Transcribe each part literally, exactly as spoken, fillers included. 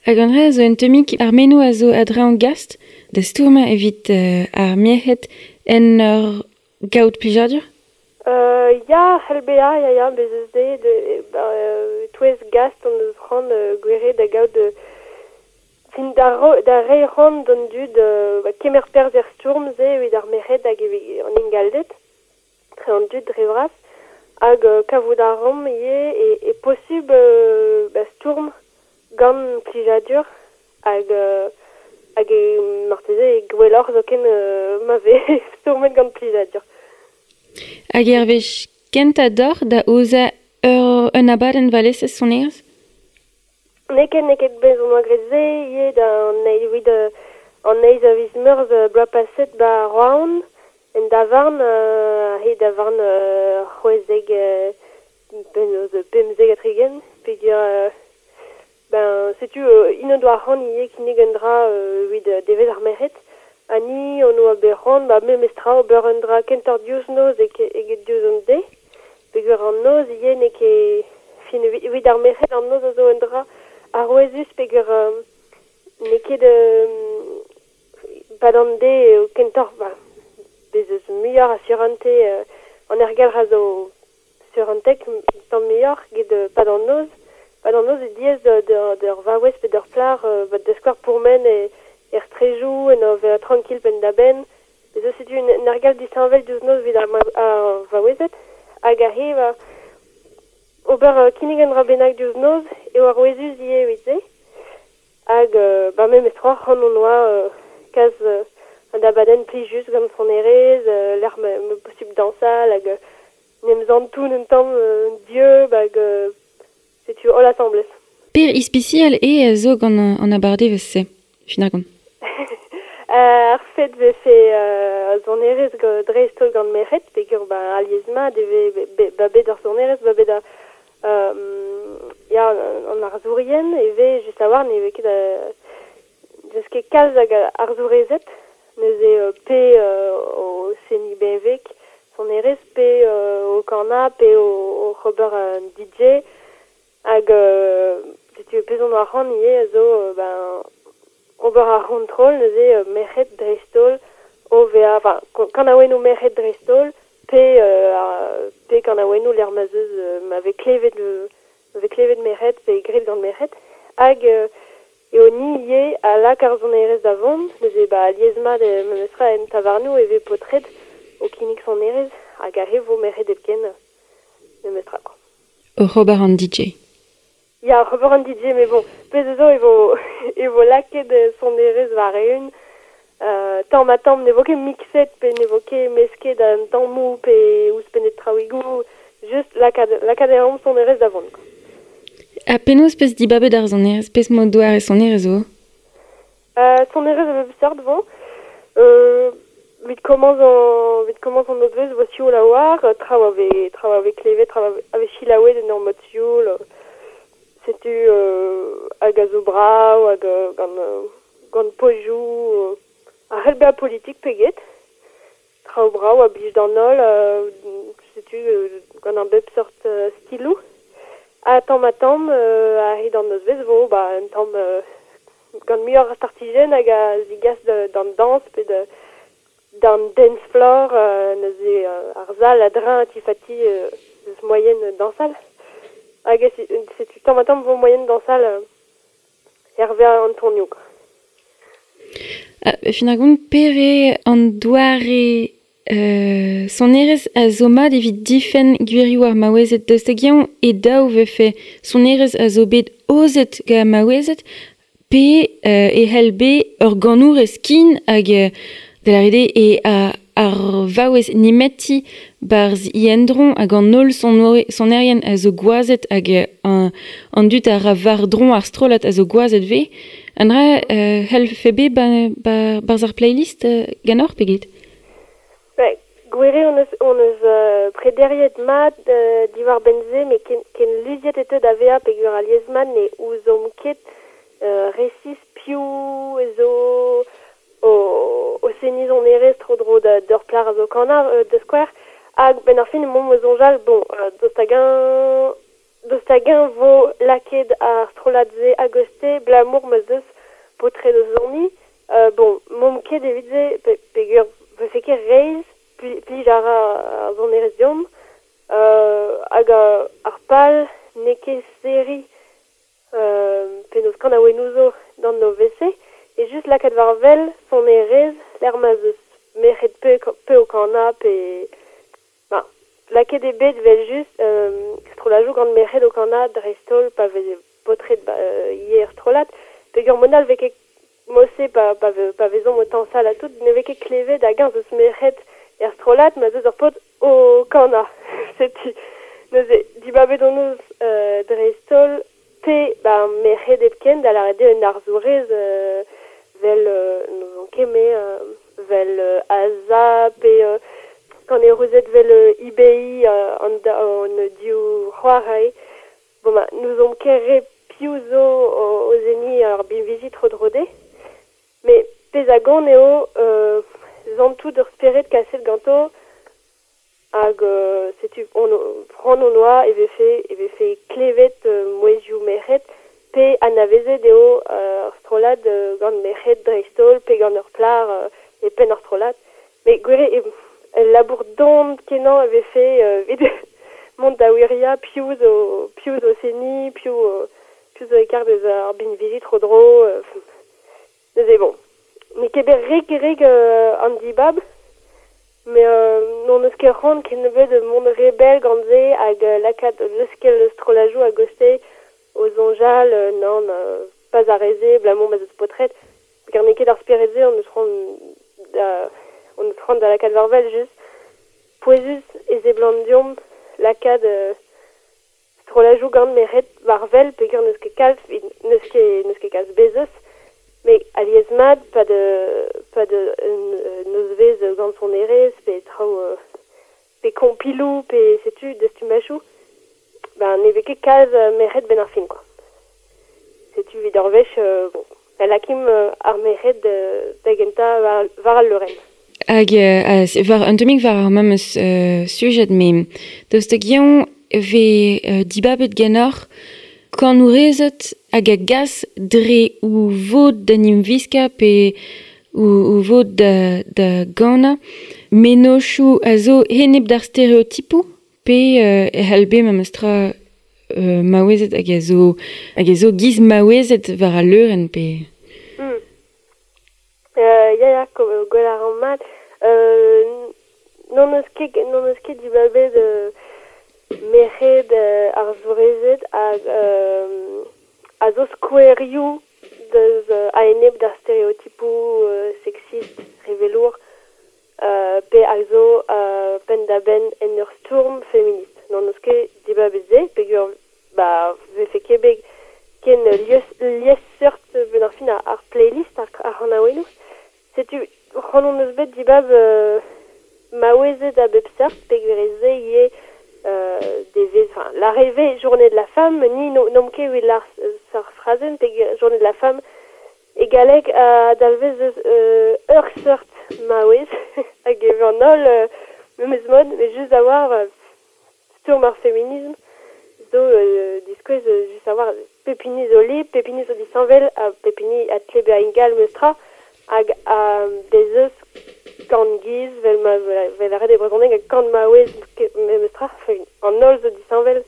Hag an dra zo un tammig ar meno a zo a-dreñv gast da stourmañ evit euh, ar merc'hed en ur gaout plijadur? Euh, ya, c'hell bezañ, ya, ya, bez eus de, de ba, euh, touez gast an eus c'hoant euh, gwere da gaout euh, fin da, ro, da reiñ c'hoant d'an dud euh, ba, kemer perzh er stourm se evit ar merc'hed hag evit an ingalded, tre an dud dre vras, hag euh, kavout ar rom ivez e, e posubl euh, ba, stourm gant plijadur hag euh, hag e marteze e gwelloc'h zoken euh, ma vez stourmet gant plijadur. Hag er wech kentañ deoc'h da aozañ ur un abadenn valesez sonerezh? N'eo ket, n'eo ket bez on oa graet se ivez da an eil evit euh, an eizh a viz Meurzh euh, bloaz paset ba Roazhon en davarn euh, he davarn euh, c'hwezek euh, penaos pemzek ha tregent peogwir euh, ben setu euh, int o doa c'hoant ivez kinnig un dra euh, evit euh, devezh ar merc'hed ha ni on oa bet c'hoant ba memes tra ober un dra kentoc'h diouzh noz eget diouzh an deiz peogwir an noz ivez n'eo ket fin evit ar merc'hed an noz a zo un dra arouezus peogwir euh, n'eo ket euh, pad an deiz eo kentoc'h ba bez eus muioc'h a surentez euh, an aergelc'h a zo surentek tamm muioc'h get euh, pad an noz. Pad an noz e diaes d'ur vaouez pe d'ur plac'h euh, ba da skouer pourmen e er strejoù en ur vezañ tranquille penn-da-benn. Bez eus setu un aergelc'h disheñvel diouzh noz evit ar, ar vaouezed hag aze ba ober euh, kinnig un dra bennak diouzh noz eo arouezus ivez evit se. Hag euh, ba memes tra c'hoant on oa euh, kas euh, un abadenn plijus gant sonerezh, euh, lec'h ma, ma posubl dañsal hag euh, n'em zantoun un tamm euh, dieub hag euh, setu holl asambles. Per ispisial e a zo gant an abardevezh-se, fin ar gont. Euh, ar fet vefe euh, sonerezh dreist-holl gant merc'hed, peogwir ba alies mat e vez be, ba bet ar sonerezh, ba bet ar euh, ya an arzourien e vez just a-walc'h ne vez ket euh, deus ket kalz hag arzourezed, neuze euh, pe euh, o seniñ benveg sonerezh, pe euh, o kanañ, pe o, o ober un D J, hag euh, setu pezh on oa c'hoant ivez a zo euh, ben ober ar c'hontrol, neuze euh, merc'hed dreist-holl o vezañ, enfin, kanaouennoù merc'hed dreist-holl, pe euh, pe kanaouennoù lec'h ma zeus euh, ma vez klevet euh, ma vez klevet merc'hed pe graet gant merc'hed, hag euh, eo ni ivez a lak ar sonerezh da vont, neuze ba alies mat e memestra en tavarnoù e vez paotred o kinnig sonerezh hag ar re vo merc'hed hepken memestra quoi. Oc'h ober an D J. Ya, oc'h ober an D J, mais bon, pezh zo e vo, e vo lakaet sonerezh war-eeun. Euh, tamm ha tamm ne vo ket mixet pe ne vo ket mesket an tammoù pe ouzhpennet traoùigoù, just lakaat, lakaat e ran sonerezh da vont, quoi. Ha penaos peus dibabet ar sonerezh, pezh mod doare sonerezh zo? Euh, sonerezh a bep seurt vo. Euh, evit komañs an, evit komañs an nozvezh vo sioul a-walc'h, traoù a vez, traoù a vez klevet, traoù a vez selaouet en ur mod sioul. Setu euh, hag a zo brav, hag euh, gant, euh, gant pozioù, euh, a c'hell bezañ politik pe get. Traoù brav a blij d'an holl, euh, setu euh, gant an bep seurt euh, stiloù. Ha tamm ha tamm, euh, a-hed an nozvezh vo, ba, un tamm euh, gant muioc'h a startijenn hag a zigas d'an dañs pe de, d'an dance floor, euh, neuze euh, ar sal a-dreñv tifati euh, eus moyen dañsal. Hag setu tamm ha tamm vo moyen dañsal euh, hervez an tonioù, quoi. Ah, fin ar gont pere an doare euh, sonerezh a zo mat evit difenn gwirioù ar maouezed daoust hag-eñ e daou vefe sonerezh a zo bet aozet gant maouezed pe euh, e c'hell bet ur ganourez kin hag euh, da lâret eo e a, ar vaouez nemeti barzh i endron hag an holl sonerien a zo gwazed hag an, an dud a ra war-dro ar strollad a zo gwazed vez. An dra euh, c'hell fe bet ba, ba, barzh ar playlist euh, ganeoc'h pe get? Ba, gwere on eus, on eus euh, prederiet mat euh, diwar benze, met ken, ken luziet e teu da vezañ peogwir alies mat ne ouzomp ket euh, resis piv zo o, o seniñ sonerezh tro-dro da d'ur plac'h a zo kanañ euh, da skouer. Hag ben ar fin emaomp o soñjal, bon, euh, daoust hag-eñ Daoust hag-eñ vo lakaet ar strollad-se a-goste abalamour ma 'z eus paotred o soniñ. Euh, bon, m'omp ket evit se, pe, peogwir vefe ket reizh, plij a ra ar sonerezh deomp. Euh, hag ar pal n'eo ket serriñ euh, penaos kanaouennoù zo d'an nozvezh-se, e just lakaat war wel sonerezh lec'h ma 'z eus merc'hed pe, pe o kanañ pe... Ba, lakaet eo bet evel-just euh, strolladoù gant merc'hed o kanañ dreist-holl pa veze paotred ba, ivez er strollad, peogwir mod all 'vez ket mod-se pa, pa, pa vezomp o tañsal ha tout, ne vez ket klevet hag-eñ 'z eus merc'hed er strollad ma 'z eus ur paotr o kanañ. Setu neuze dibabet hon eus euh, dreist-holl pe ba, merc'hed hepken da lâret eo un arzourez euh, 'vel euh, n'ouzon ket me euh, 'vel euh, Aza pe euh, kanerezed 'vel euh, I B I euh, an, an div c'hoar aze. Bon ba, n'ouzomp ket re piv zo o, o seniñ ar binviji tro-dro dezhe. Met pezh a gont eo euh, santout ur spered kaset ganto hag euh, setu on c'hoant hon oa e vefe e vefe klevet euh, mouezhioù merc'hed pe anavezet eo euh, ar strollad euh, gant merc'hed dreist-holl pe gant ur plac'h euh, e penn ar strollad. Met gwir eo ul labour don kenañ e vefe euh, evit mont da wiriañ piv zo piv zo seniñ, piv piv zo e-karg deus ar binviji tro-dro. Euh, neuze bon, n'eo ket bet rik-rik euh, an dibab, met euh, n'hon eus ket c'hoant kennebeut mont re bell gant se hag euh, lakaat leuskel strolladoù a-goste o soñjal euh, nann euh, pas ar re-se abalamour ma 'z eus paotred. Peogwir n'eo ket ar spered-se hon eus c'hoant da hon eus c'hoant da lakaat war wel just. Pouezus e seblant deomp lakaat euh, strolladoù gant merc'hed war wel peogwir n'eus ket kalz, n'eus ket n'eus ket kalz bez eus. Met alies-mat pa de pa de un nozvezh gant sonerezh pe traoù euh, pe kompiloù pe setu dastumajoù, ben ne vez ket kalz merc'hed 'benn ar fin quoi. Setu evit ur wech euh, bon, da lakimp ar merc'hed da gentañ war, war al leurenn. Hag euh, war un tammig war ar memes euh, sujed, met daoust hag-eñ 'vez euh, dibabet ganeoc'h kanourezed hag a gas dre o vod da 'n em viskañ pe o, o vod da, da ganañ mennozhioù a zo enep d'ar stereotipoù pe euh, e c'hall bet memestra euh, maouezed hag a zo hag a zo giz maouezed war al leurenn pe... Mm. Euh, ya ya, gwell a ran mat. Euh, n'hon eus ket n'hon eus ket dibabet euh, merc'hed euh, arzourezed hag euh, a zo skouerioù deus euh, a-enep d'ar stereotipoù euh, sexist, revelour, euh, pe a zo euh, penn-da-benn en ur stourm feminist. N'hon eus ket dibabet se, peogwir ba vefe ket bet ken liesseurt 'benn ar fin ar playlist ar, ar c'hanaouennoù. Setu c'hoant hon eus bet dibab euh, maouezed a bep seurt, peogwir e se ivez euh, devezh, enfin, lâret journée de la femme, ni no, n'omp ket evit lâr ar frazenn, peogwir journée de la femme e galleg a dalvez eus euh, ur seurt maouez hag e an holl euh, memes mod, met just a-walc'h euh, stourm ar feminism zo euh, diskouez euh, just a-walc'h pep hini zo lip, pep hini zo disheñvel ha pep hini a tle bezañ ingal memestra hag a bez eus kant giz 'vel ma 'vel lâret e brezhoneg hag kant maouez memestra, enfin, an holl zo disheñvel.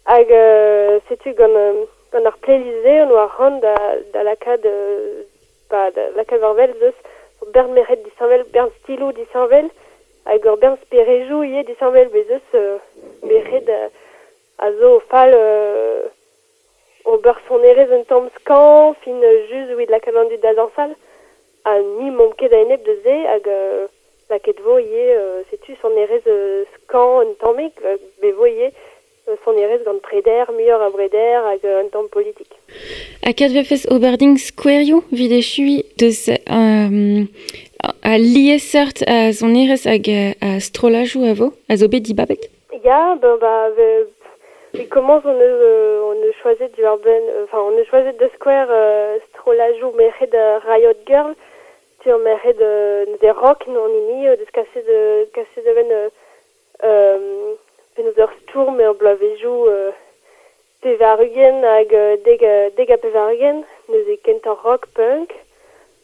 Hag euh, setu gant euh, gant ar playlist-se on oa c'hoant da, da lakaat euh, ba, da lakaat war wel 'z eus ur bern merc'hed disheñvel, bern stiloù disheñvel hag ur bern sperejoù ivez disheñvel bez eus euh, merc'hed euh, a zo fall euh, ober sonerezh un tamm skañv, fin just evit lakaat an dud da zañsal. Ha ni m'omp ket a-enep deus se hag euh, lakaet vo ivez euh, setu sonerezh euh, skañv un tammig, euh, bet vo ivez euh, sonerezh gant preder, muioc'h a breder hag euh, un tamm politik. Ha kat vefes ober din skouerioù 'vit echuiñ deus euh, a liesseurt a sonerezh hag a strollajoù a vo, a zo bet dibabet? Ya, ben ba, ve, e komañs hon eus, euh, hon eus choazet diwar-benn, enfin on eus choazet da skouer euh, strollajoù merc'hed euh, Riot Girl, tu ur merc'hed euh, neuze rock an hini euh, deus kaset euh, kaset da benn euh, euh, penaos ur stourm er bloavezhioù euh, pevar-ugent hag deg, deg ha pevar-ugent, neuze kentañ rock punk.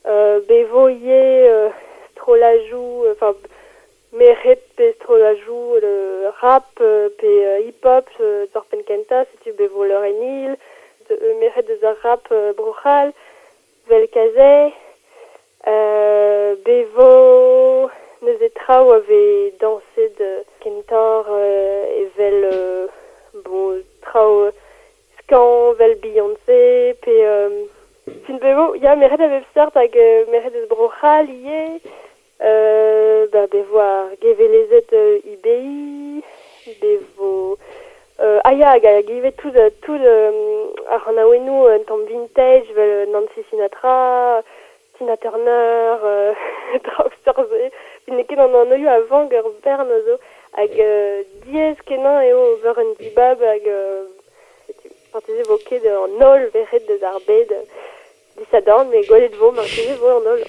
Euh, bevo ivez euh, strollajoù, enfin merc'hed pe strollajoù le rap pe euh, hip-hop euh, d'ar penn kentañ, setu bevo Lauryn Hill, merc'hed deus ar rap euh, Bro-C'hall, vel Kazay, euh, bevo neuze traoù a vez dañset kentoc'h euh, evel euh, bon traoù skañv vel Beyoncé pe euh, fin bevo ya merc'hed a bep seurt hag euh, merc'hed eus Bro-C'hall ivez, euh, ba bevo ar gevelezed euh, I B I, bevo euh, ah ya hag hag ivez tout tout euh, ar c'hanaouennoù un tamm vintage vel Nancy Sinatra, Tina Turner, euh, traoù seurt-se. N'eo ket an anvioù a vank ur bern zo hag euh, diaes kenañ eo ober un dibab hag euh, setu marteze vo ket an holl verc'hed deus ar bed disadorn, met gwelet vo, marteze vo an holl.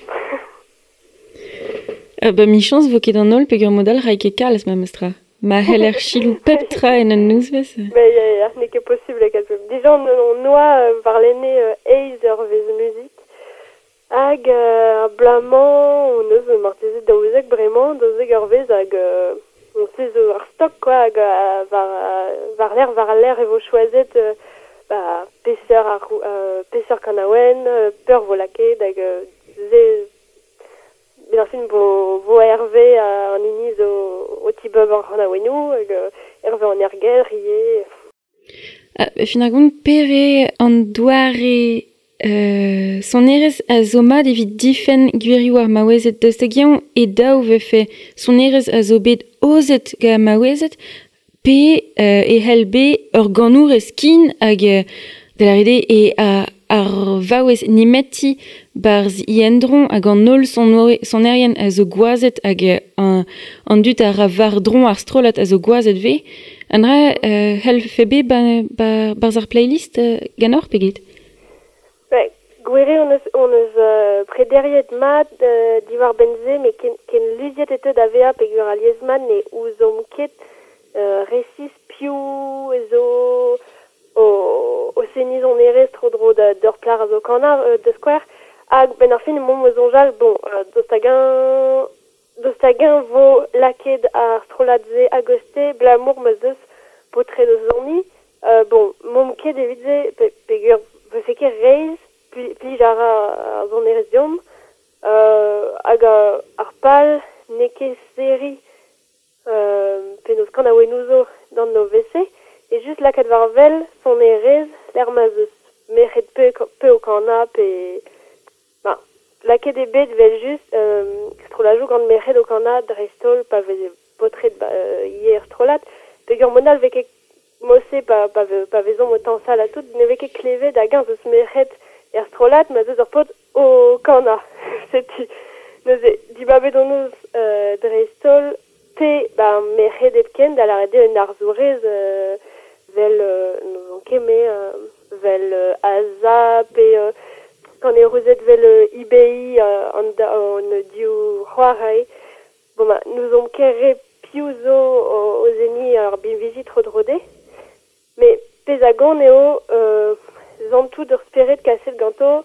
Euh, ba michañs vo ket an holl peogwir mod all ray ket kalz memestra. Ma c'heller selaou pep tra en un nozvezh. Mais ya, ya, n'eo ket posubl e kalz. Dija on, on oa euh, warlene euh, eizh eurvezh muzik. Hag euh, ar bloaz-mañ on eus marteze daouzek bremañ, daouzek eurvezh hag euh, on se zo ar stok quoi, hag euh, war, war l'air, war l'air e vo choazet euh, ba, peseurt ar euh, peseurt kanaouenn, euh, peur vo lakaet hag euh, se bet ar fin vo, vo Hervé euh, an hini zo o tibab ar c'hanaouennoù hag euh, Hervé an Ergel ivez. Ah, fin ar gont pere an doare Euh, sonerezh a zo mat evit difenn gwirioù ar maouezed daoust hag-eñ e daou vefe sonerezh a zo bet aozet gant maouezed pe euh, e c'hell bet ur ganourez kin hag euh, da lâret eo e a, ar vaouez nemeti barzh i endron hag an holl sonerien a zo gwazed hag an, an dud a ra war-dro ar strollad a zo gwazed vez. An dra euh, c'hellfe bet ba, ba, barzh ar playlist euh, ganeoc'h pe get? Ba, gwir eo on eus, on eus euh, prederiet mat euh, diwar benze, met ken, ken luziet e teu da vezañ peogwir alies mat ne ouzomp ket euh, resis piv zo o, o seniñ sonerezh tro-dro da d'ur plac'h a zo kanañ euh, da skouer. Hag benn ar fin emaomp o soñjal, bon, euh, daoust hag-eñ daoust hag-eñ vo lakaet ar strollad-se a-goste abalamour ma 'z eus paotred o soniñ. Euh, bon, m'omp ket evit se pe, peogwir vefe ket reizh plij a ra ar sonerezh deomp, euh, hag ar pal n'eo ket serriñ euh, penaos kanaouennoù zo d'an nozvezh-se, e just lakaat war wel sonerezh lec'h ma 'z eus merc'hed pe, pe o kanañ pe ba, lakaet eo bet vel just euh, strollajoù gant merc'hed o kanañ dreist-holl pa veze paotred ba, euh, ivez er strollad, peogwir mod all vez ket mod-se pa, pa, pa vezomp o tañsal ha tout, ne vez ket klevet hag-eñ 'z eus merc'hed er strollad ma 'z eus ur paotr o kanañ. Setu neuze dibabet hon eus euh, dreist-holl pe ba merc'hed hepken da lâret eo un arzourez euh, vel euh, n'ouzon ket me euh, vel euh, Aza pe euh, kanerezed vel euh, I B I euh, an, da, an div c'hoar ae. Bon ba n'ouzomp ket re piv zo o, o seniñ ar binviji tro-dro dezhe. Met pezh a gont eo euh, santout ur spered kaset ganto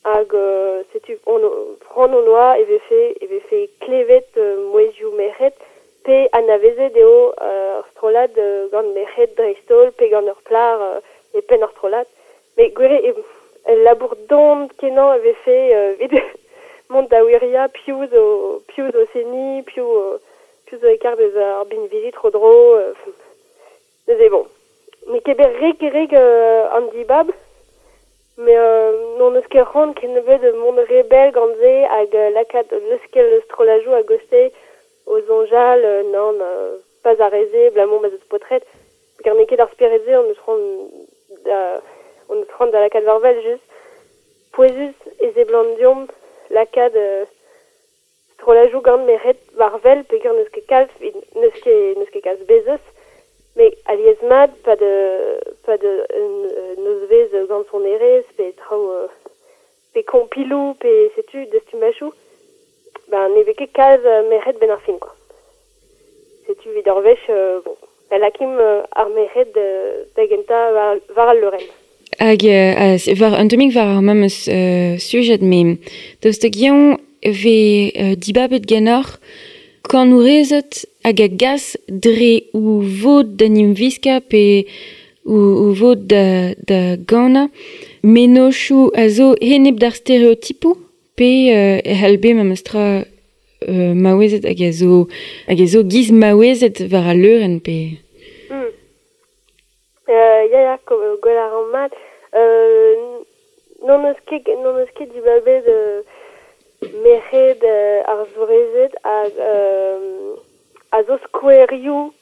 hag euh, setu on c'hoant hon oa e vefe e vefe klevet euh, mouezhioù merc'hed pe anavezet eo euh, ur strollad euh, gant merc'hed dreist-holl pe gant ur plac'h euh, e penn ar strollad. Met gwir eo ul labour don kenañ e vefe euh, evit mont da wiriañ piv zo piv zo seniñ, piv piv zo e karg deus ar binviji tro-dro. Euh, neuze bon, n'eo ket bet rik-rik euh, an dibab, met euh, n'hon eus ket c'hoant kennebeut mont re bell gant se hag euh, lakaat leuskel strollajoù a-goste o soñjal euh, nann euh, pas ar re-se abalamour ma 'z eus paotred. Peogwir n'eo ket ar spered-se on eus c'hoant da on eus c'hoant da lakaat war wel just pouezus e seblant deomp lakaat euh, strollajoù gant merc'hed war wel peogwir n'eus ket kalz n'eus ket n'eus ket kalz bez eus. Met alies mat pa de pa de un nozvezh gant sonerezh pe traoù euh, pe kompiloù pe setu dastumajoù, ben ne vez ket kalz merc'hed benn ar fin quoi. Setu evit ur wech euh, bon, Lakim euh, ar merc'hed da gentañ war, war al leurenn. Hag euh, war, un tammig war ar memes euh, sujet, me daoust hag-eñ vez euh, dibabet ganeoc'h kanourezed hag a gas dre o vod da 'n em viskañ pe o, o vod da, da ganañ mennozhioù a zo enep d'ar stereotipoù pe euh, e c'hall bet memes tra euh, maouezed hag a zo hag a zo giz maouezed war al leurenn pe... Mm. Euh, ya, ya, gwell a ran mat. Euh, n'hon eus ket, n'hon eus ket dibabet euh, merc'hed euh, arzourezed hag euh, a zo skouerioù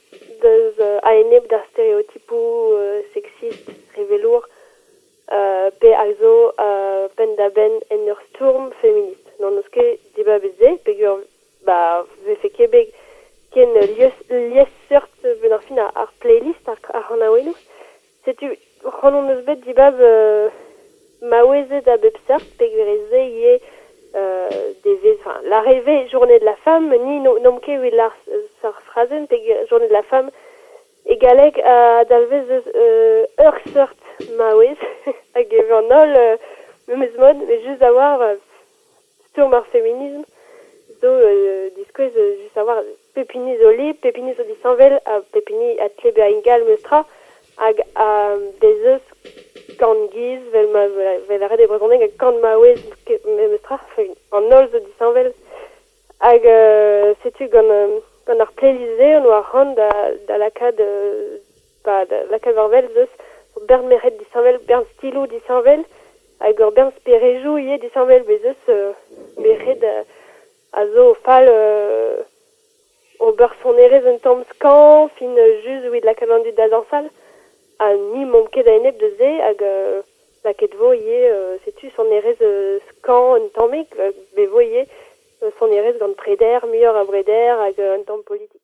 deus euh, a-enep d'ar stereotipoù euh, sexist, revelour, euh, pe a zo euh, penn-da-benn en ur stourm feminist. N'hon eus ket dibabet se, peogwir ba vefe ket bet ken liesseurt ben ar fin ar playlist ar, ar c'hanaouennoù. Setu c'hoant hon eus bet dibab euh, maouezed a bep seurt, peogwir ez eo ivez euh, devez, enfin, l'arrivée journée de la femme, ni no, n'omp ket evit lar ar frazenn, peogwir journée de la femme e galleg a dalvez eus euh, ur seurt maouez, hag e an holl euh, memes mod, mais just a-walc'h euh, stourm ar feminisme, zo euh, diskouez euh, just a-walc'h pep hini zo liv, pep hini zo disheñvel, ha pep hini a tle bezañ ingal memestra, hag a bez eus kant giz, vel ma vel a ret e brezhoneg hag kant maouez memestra, enfin, an holl zo disheñvel. Hag euh, setu gant, euh, gant ar playlist-se on oa c'hoant da, da lakaat euh, ba, da lakaat war wel zeus bern merc'hed disheñvel, bern stiloù disheñvel, hag ur bern sperejoù ivez disheñvel bez eus euh, merc'hed euh, a zo fal euh, ober sonerezh un tamm skañv, fin just evit lakaat an dud da zañsal, ha ni 'momp ket a-enep deus se hag euh, lakaet vo ivez euh, setu sonerezh euh, skañv un tammig, euh, bet vo ivez sonerezh gant preder, muioc'h a breder hag un tamm politik.